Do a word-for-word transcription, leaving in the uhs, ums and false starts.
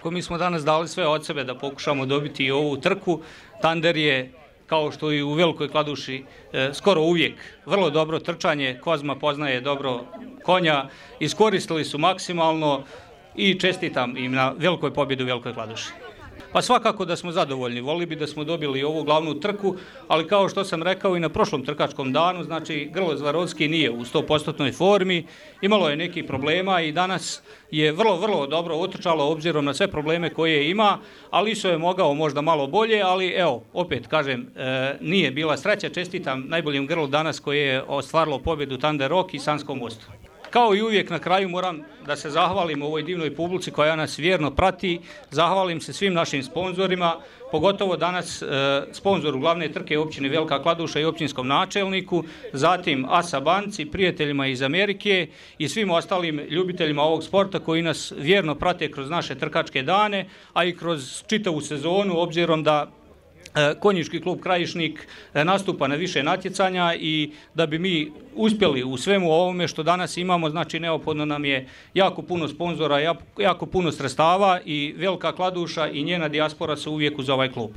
Svakako mi smo danas dali sve od sebe da pokušamo dobiti i ovu trku. Tander je, kao što i u Velikoj Kladuši, skoro uvijek vrlo dobro trčanje. Kozma poznaje dobro konja, iskoristili su maksimalno i čestitam im na velikoj pobjedi u Velikoj Kladuši. Pa svakako da smo zadovoljni, volili bi da smo dobili ovu glavnu trku, ali kao što sam rekao i na prošlom trkačkom danu, znači Grlo Zvarovski nije u sto posto formi, imalo je nekih problema i danas je vrlo, vrlo dobro utrčalo obzirom na sve probleme koje ima, ali Iso je mogao možda malo bolje, ali evo, opet kažem, e, nije bila sreća, čestitam najboljem grlu danas koje je ostvarilo pobjedu Thunder Rock i Sanskom mostu. Kao i uvijek na kraju moram da se zahvalim ovoj divnoj publici koja nas vjerno prati, zahvalim se svim našim sponzorima, pogotovo danas e, sponzoru glavne trke općine Velika Kladuša i općinskom načelniku, zatim Asa banci, prijateljima iz Amerike i svim ostalim ljubiteljima ovog sporta koji nas vjerno prate kroz naše trkačke dane, a i kroz čitavu sezonu obzirom da Konjički klub Krajišnik nastupa na više natjecanja i da bi mi uspjeli u svemu ovome što danas imamo, znači neophodno nam je jako puno sponzora, jako puno sredstava i Velika Kladuša i njena dijaspora su uvijek uz ovaj klub.